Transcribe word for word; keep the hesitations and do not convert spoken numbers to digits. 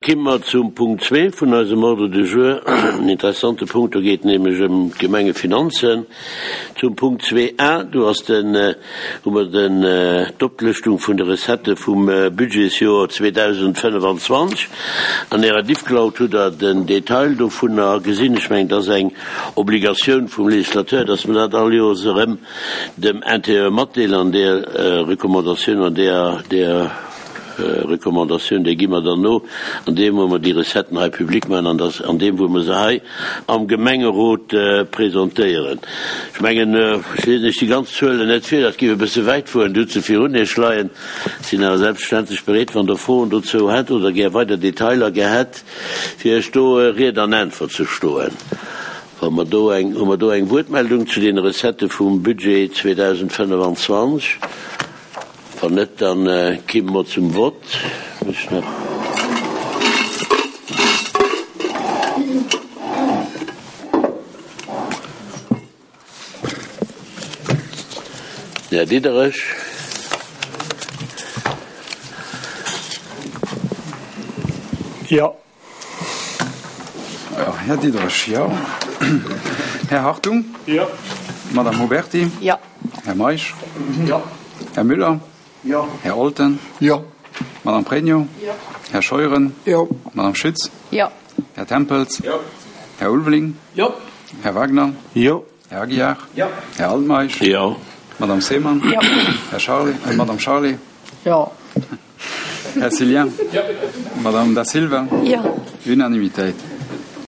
Kimme mer zum Punkt zwee vun eisem Ordre du jour, en interessante Punkt, do geet et nämlech ëm d'Gemengefinanzen. Zum Punkt zwee a, do ass den, hu mer den, d'Oplëschtung vun de Recettë vum Budgetsjoer zweedausendfënnefanzwanzeg. An Ärer Diffcloud hutt Der den Detail dovunner gesinn. Ech mengen, et ass eng Obligatioun vum Législateur, dass mer dat all Joers erëm dem Intérieur matdeelen an där Recommandatioun, an där, där Recommandatioun, déi gi mer dann no, an deem wou mer déi Recetten hei public maachen an dass an deem wou mer se hei am Gemengerot presentéieren. Ech mengen, ech liesen Iech déi ganz Zuelen net vir, dat géif e bësse wäit fueren, Dir hutt se virun Iech leien. Ech sinn awer selbstverständlech bereet, wann Der Froen dozou hätt oder gär weider Detailer gär hätt, fir Iech do Ried an Äntwert ze stoen. Wa mer do eng, hu mer do eng Wuertmeldung zu deene Recettë vum Budget zweedausendfënnefanzwanzeg? Wann net, da kimme mer zum Vott. Ech nach. Den Här Diderich. Jo. Här Diderich, jo. Här Hartung. Jo. Madame Huberti. Jo. Här Meisch. Jo. Här Müller. Jo. Här Olten. Jo. Madame Pregno. Jo. Här Scheuren. Jo. Madame Schütz. Jo. Här Tempels. Jo. Här Ulveling. Jo. Här Wagner. Jo. Här Aguiar. Jo. Här Altmeisch. Jo. Madame Seemann. Jo. Här Charlé, äh, Madame Charlé. Jo. Här Cillien. Jo. Madame Da Silva. Jo. Unanimitéit.